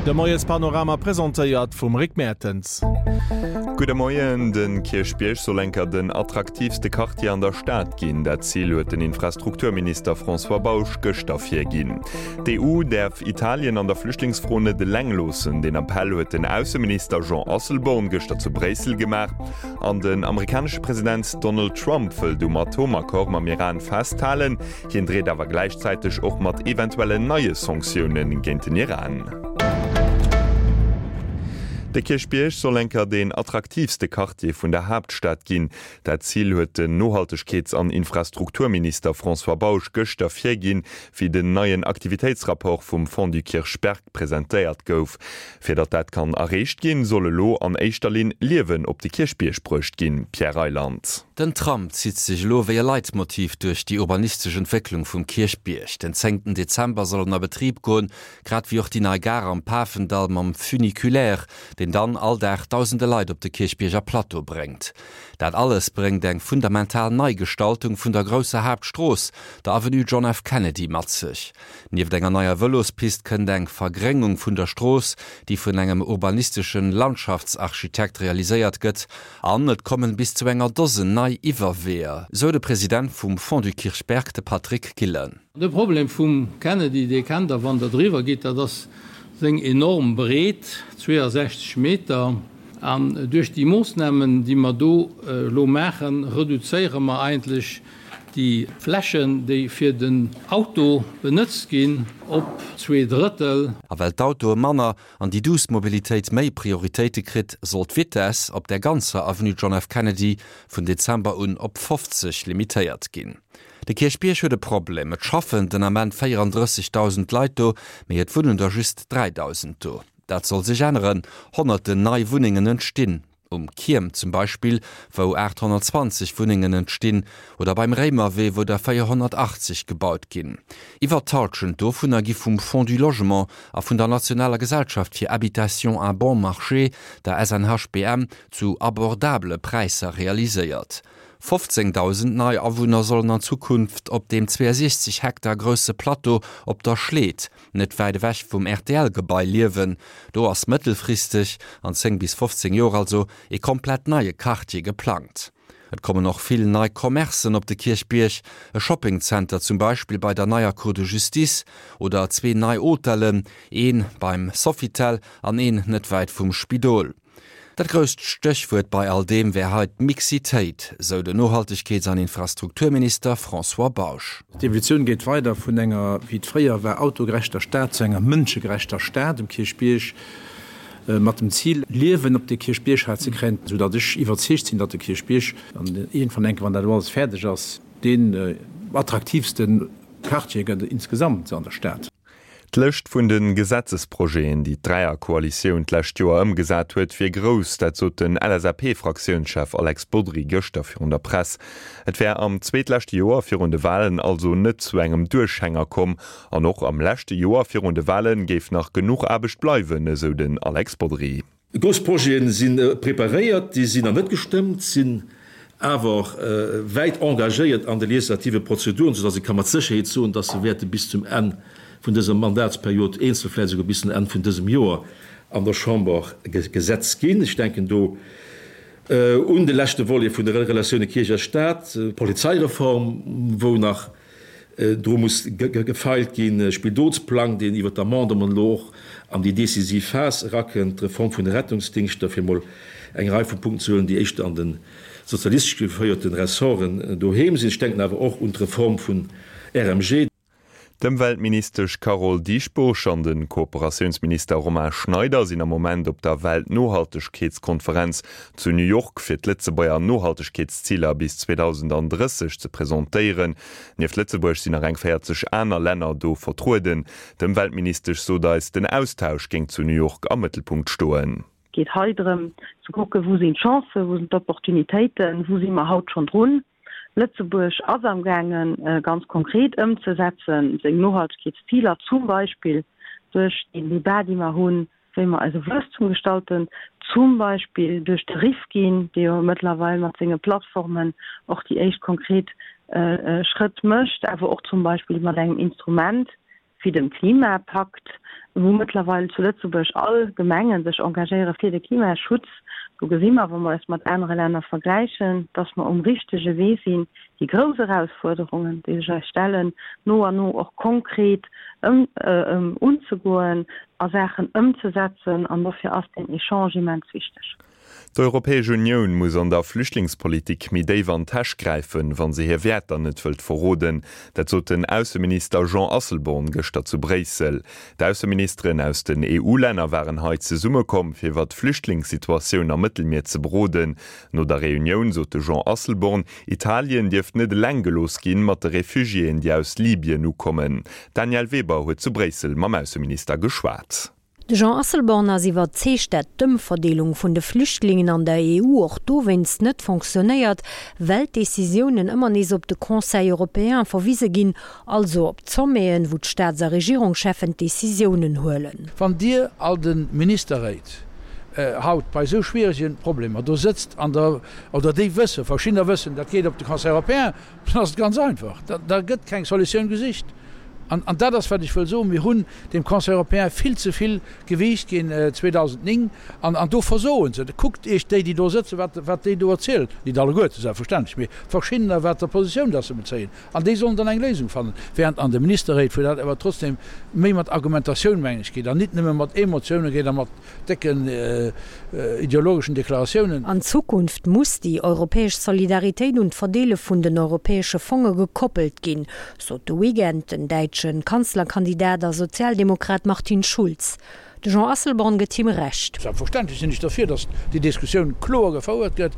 De Moiespanorama presentéiert vum Rick Mertens. Gudde Moien. De Kierchbierg soll enker den attraktiivste Quartier an der Stad ginn. Dat Zil huet den Infrastrukturminister François Bausch gëschter virginn. D'EU däerf Italien an der Flüchtlingsfro net eleng loossen. Deen Appell huet den Ausseminister Jean Asselborn gëschter zu Bréissel gemaach. An den amerikanesche President Donald Trump wëllt um Atomaccord mam Iran festhalen. Hien dreet awer gläichzäiteg och mat eventuellen neie Sanktioune géint den Iran. De Kierchbierg soll enker deen attraktiivste Quartier vun der Haaptstad ginn. Dat Zil huet den Nohaltegkeets an Infrastrukturminister François Bausch gëschter virginn, wéi den neien Aktivitéitsrapport vum Fonds du Kirchberg presentéiert gouf. Fir datt dat kann erreecht ginn, soll elo an éischter Linn Liewen op de Kierchbierg bruecht ginn. Pierre Reyland. Den Tram zitt sech elo wéi e Leitmotiv duerch déi urbanistesch Entwécklung vum Kierchbierg. Den zéngten Dezember soll en a Betrib goen, grad wéi och déi nei Gare am Pafendall mam Funiculaire, deen dann all Dag dausende Leit op de Kierchbierger Plateau bréngt. Dat alles bréngt eng fundamental Neigestaltung vun der grousser Haaptstrooss, der Avenue John F. Kennedy, mat sech. Nieft enger neier Vëlospist kënnt eng Vergréngung vun der Strooss, déi vun engem urbanisteschen Landschaftsarchitekt realiséiert gëtt, an et kommen bis zu enger Dosen nei Iwwerweeër, sou de President vum Fonds du Kirchberg, de Patrick Gillen. De Problem vum Kennedy, dee kennt der, wann der driwwer gitt, dat ass seng enorm Breet, 62 Meter. An duerch déi Moossnamen, déi mer do elo maachen, reduzéiere mer eigentlech déi Flächen, déi fir den Auto benëtzt ginn, op 2/3. A well d'Autoe manner an déi duuss Mobilitéit méi Prioritéite kritt, soll d'Vitess op der ganzer Avenue John F. Kennedy vun Dezember un op 50 limitéiert ginn. De Kierchbierg huet e Problem, Et schaffen den Ament 34.000 Leit do, mee et wunnen der just 3.000 do. Dat soll sech änneren, Honnerten nei Wunnengen entstinn. Um Kierm zum Beispill, wou 820 Wunnengen entstinn, oder beim Réimerwee, wou der 480 gebaut ginn. Iwwer d'Hallschent dovunner gi vum Fonds du Logement a vun der nationaler Gesellschaft fir Habitation à bon marché, der SNHBM, zu abordabele Präisser realiséiert. 15.000 nei Awunner sollen an Zukunft op deem 62 Hektar grousse Plateau op der Schleed, net wäit ewech vum RTL-Gebai, liewen. Do ass mëttelfristeg, an 10 bis 15 Joer also, ee komplett neie Quartier geplangt. Et kommen och vill nei Commercen op de Kierchbierg, e Shoppingzenter zum Beispill bei der neier Cour de Justice oder zwee nei Hotellen, ee beim Sofitel an een net wäit vum Spidol. Dat grousst Stéchwuert bei all deem wär hei d'Mixitéit, sou den Nohaltegkeets an Infrastrukturminister François Bausch. D'Evolutioun geet weider vun enger, wéi et fréier war, autogerechter Stad zu enger mënschegerechter Stad um Kierchbierg, mat dem Zil, Liewen op de Kierchbierg hei ze kréien, esou datt ech iwwerzeegt sinn, datt de Kierchbierg dann iergendwann enke, wann dat elo alles fäerdeg ass, deen attraktiivste Quartier gëtt insgesamt an der Stad. D'Lëscht vun de Gesetzesprojeten, déi d'Dräierkoalitioun d'lescht Joer ëmgesat huet, wier grouss. Dat sot den LSAP-Fraktiounschef Alex Bodry gëschter virun der Press. Et wär am zweetleschte Joer virun de Walen also net zu engem Duerchhänger komm. An och am leschte Joer virun de Wale géif nach genuch Aarbecht bleiwen, esou den Alex Bodry. Grouss Projete si preparéiert, déi sinn nach net gestëmmt, sinn awer wäit engagéiert an de legislative Prozeduren, soudass ee ka mat Sécherheet soen, dass se wäerte bis zum Enn vun dëser Mandatsperiod, eenzel vläicht esouguer bis zum Enn vun dësem Joer an der Chamber Gesetz ginn. Ech denken do un de leschte Volet vun de Relatioune Kierch a Stat, d'Polizeireform, wou nach Dru muss gefeilt ginn. Spidolsplang, deen iwwer d'Amendementen elo och an déi decisiv Phas erakënnt, d'Reform vun de Rettungsdingschter, fir emol eng Rei vu Punkten ze huelen, déi éischter an de sozialistesch geféierten Ressorten doheem sinn. Ech denken awer och un d'Reform vun RMG. D'Ëmweltministesch Carole Dieschbourg an de Kooperatiounsminister Romain Schneider sinn am Moment op der Weltnohaltegkeetskonferenz zu New York, fir d'Lëtzebuerger Nohaltegkeetsziler bis 2030 ze presentéieren. Nieft Lëtzebuerg sinn nach eng 40 aner Länner do vertrueden. D'Ëmweltministesch sot eis, den Austausch géing zu New York am Mëttelpunkt stoen. Et geet hei drëm ze kucken, wou sinn d'Chancen, wou sinn d'Opportunitéiten, wou si mer haut schonn drun. Lëtzebuerg ass amgaangen, ganz konkret ëmzesetzen, seng Nohaltegkeetsziler, zum Beispill duerch deen Debat, dee mer hunn, wéi mer eise Wuesstum gestalten, zum Beispill duerch de Rifkin, dee jo mëttlerweil mat senge Plattformen och déi éischt konkret Schrëtt mécht, awer och zum Beispill mat engem Instrument wéi dem Klimapakt. Wou mëttlerweil zu Lëtzebuerg all Gemengen sech engagéiere fir de Klimaschutz. Do gesi mer, wa mer eis mat anere Länner vergläichen, dass mer um richtege Wee sinn, déi grouss Erausfuerderungen, déi sech eis stellen, no an no och konkret unzegoen a Saachen ëmzesetzen. An dofir ass deen Echange immens wichteg. D'Europäesch Unioun muss an der Flüchtlingspolitik méi déif an d'Täsch gräifen, wa se hir Wäerter net wëllt verroden. Dat sot den Ausseminister Jean Asselborn gëschter zu Bréissel. D'Ausseministeren aus den EU-Länner waren hei zesummekomm, fir iwwer d'Flüchtlingssituatioun am Mëttelmier ze beroden. No der Reunioun sot de Jean Asselborn, Italien dierft net eleng gelooss ginn mat de Refugiéen, déi aus Libyen ukommen. D'Danièle Weber huet zu Bréissel mam Ausseminister geschwat. De Jean Asselborn ass iwwerzeegt, dat d'Ëmverdeelung vun de Flüchtlingen an der EU och dowéinst net fonctionnéiert, well d'Decisiounen ëmmer nees op de Conseil européen verwise ginn, also op d'Sommeten, wou d'Staats a Regierungscheffen d'Decisiounen huelen. Wann Dir all de Ministerréit haut bei esou schwierege Problemer do sëtzt an der, oder déi wëssen, verschiddener wëssen, dat geet op de Conseil européen, Dann ass et ganz einfach, da gëtt keng Solutioun gesicht. An dat ass, wat ech wëll soen, Mir hunn dem Conseil européen vill ze vill Gewiicht ginn 2009, an do versoen se. Kuckt Iech déi, déi do sëtzen, wat déi do erzielen, nit alleguerte selbstverständlech, mee verschiddener, wat der Positioun dass se bezéien, an déi sollen dann eng Léisung fannen. Während an de Ministerréit, wou dat awer trotzdem méi mat Argumentatioun, mengen ech, geet an nit nëmme mat Emotiounen geet a mat décken ideologeschen Deklaratiounen. An Zukunft muss déi europäesch Solidaritéit un d'Verdeele vun den europäesche Fonge gekoppelt ginn, sot de Weekend den däitsche Kanzlerkandidat a Sozialdemokrat Martin Schulz. De Jean Asselborn gëtt him Recht. Selbstverständlech sinn ech derfir, datt déi Diskussioun kloer gefouert gëtt.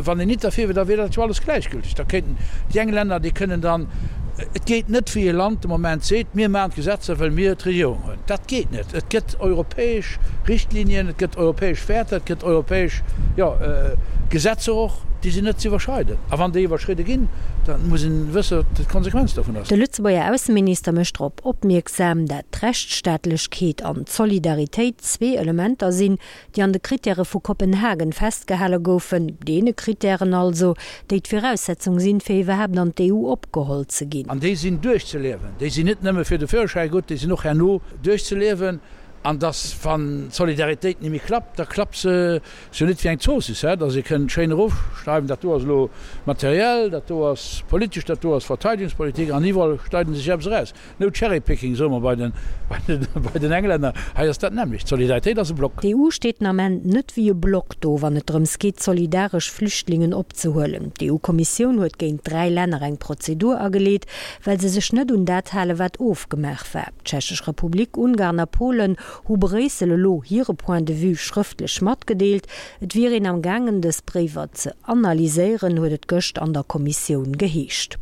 Wann een nit derfir wier, da wier dat jo alles gläichgülteg. Da kéinten déi eng Länner, déi kënnen dann, Et geet net, wéi e Land de Moment seet, mir maachen d'Gesetzer, well mir d'Regierung hunn. Dat geet net. Et gëtt europäesch Richtlinien, et gëtt europäesch Wäerter, et gëtt europäesch, jo, Gesetzer och, déi sinn net ze iwwerschreiden. A wann déi iwwerschridde ginn, da muss een wësse wat d'Konsequenz dovun ass. De Lëtzebuerger Ausseminister mécht drop opmierksam, dat d'Rechtsstaatlechkeet an d'Solidaritéit zwee Elementer sinn, déi an de Krittäre vu Kopenhagen festgehale goufen, deene Krittären also, déi d'Viraussetzung sinn, fir iwwerhaapt an d'EU opgeholl ze ginn. An déi sinn duerchzeliewen. Déi sinn net nëmme fir de Führerschäi gutt, déi sinn och herno duerchzeliewen. An dass, wann d'Solidaritéit net méi klappt, da klappt se jo net wéi eng Zoossiss, dass ee kënnt schéin erofschreiwen, dat do ass elo materiell, dat do ass politesch, dat do ass Verteidigungspolitik, an iwwerall schneiden se sech eppes eraus. No cherry picking, soe mer bei den Englänner. Hei ass dat nämmlecht. D'Solidaritéit ass e Block. D'EU steet den Ament net wéi e Block do, wann et drëms geet, solidaresch Flüchtlingen opzehuelen. D'EU-Kommissioun huet géint 3 Länner eng Prozedur ageleet, well se sech net un dat halen, wat ofgemaach war. D'Tschechesch Republik, Ungarn a Polen hu Bréissel elo hire Point de vue schrëftlech matgedeelt. Et wier een am gaangen, dës Bréiwer ze analyséieren, huet et gëscht an der Kommissioun geheescht.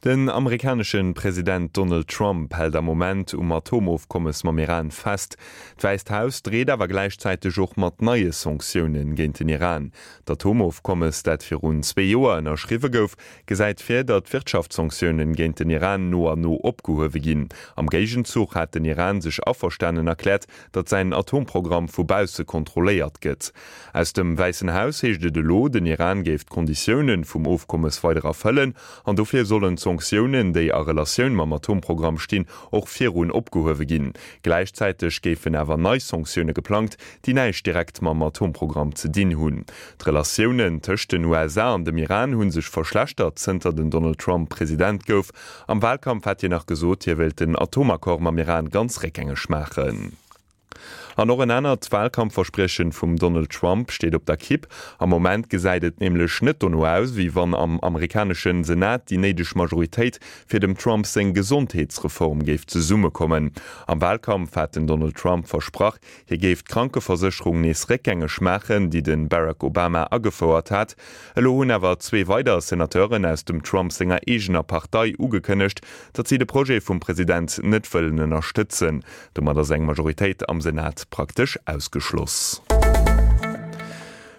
Den amerikanesche President Donald Trump hält am Moment um Atomofkommes mam Iran fest. D'Wäisst Haus dreet awer gläichzäiteg och mat neie Sanktioune géint den Iran. D'Atomofkommes, dat virun zwee Joer ënnerschriwwe gouf, gesäit vir, datt Wirtschaftssanktiounen géint den Iran no an no opgehuewe ginn. Am Géigenzuch hat den Iran sech averstanen erkläert, datt säin Atomprogramm vu bausse kontrolléiert gëtt. Aus dem Wäissen Haus heescht et elo, den Iran géif d'Konditioune vum Ofkommes weider erfëllen an dofir sollen d'Sanktiounen, déi a Relatioun mam Atomprogramm stinn, och virun opgehuewe ginn. Gläichzäiteg géifen awer nei Sanktioune geplangt, déi näischt direkt mam Atomprogramm ze dinn hunn. D'Relatiounen tëscht den USA an dem Iran hu sech verschlechtert, zënter den Donald Trump President gouf. Am Walkampf hat hien nach gesot, hie wéilt den Atomaccord mam Iran ganz réckgängeg maachen. An och en anert Walkampfverspriechen vum Donald Trump steet op der Kipp. Am Moment gesäit et nämlech net dono aus, wéi wann am amerikaneschen Senat déi néideg Majoritéit fir dem Trump seng Gesondheetsreform géif zesummekommen. Am Walkampf hat den Donald Trump versprach, hie géif d'Krankeversécherung nees réckgängeg maachen, déi de Barack Obama agefouert hat. Elo hunn awer zwee weider Senateuren aus dem Trump senger eegener Partei ugekënnegt, datt si de Projet vum President net wëllen ënnerstëtzen. Domat ass eng Majoritéit am Senat praktesch ausgeschloss.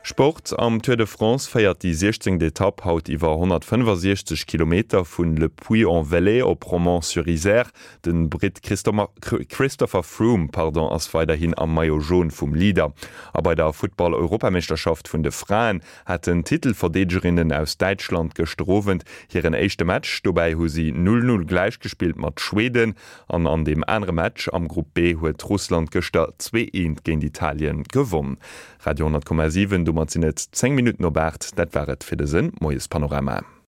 Sport, Am Tour de France féiert déi 16. Etapp haut iwwer 165 Kilometer vun Le Puy-en-Velay op Romans-sur-Isère. De Britt Christopher Froome pardon, ass weiderhin am Maillot jaune vum Leader. A bei der Futtball-Europameeschterschaft vun de Fraen haten d'Titelverdeedegerinnen aus Däitschland gëschter Owend hiren éischte Match. Dobäi hu si 0, 0 gläichgespillt mat Schweden. An an deem anere Match am Grupp B huet Russland gëschter 2, 1 géint Italien gewonn. Radio 10,7, domat sinn et 10 Minutten op 8. Dat war et fir dëse Moiespanorama.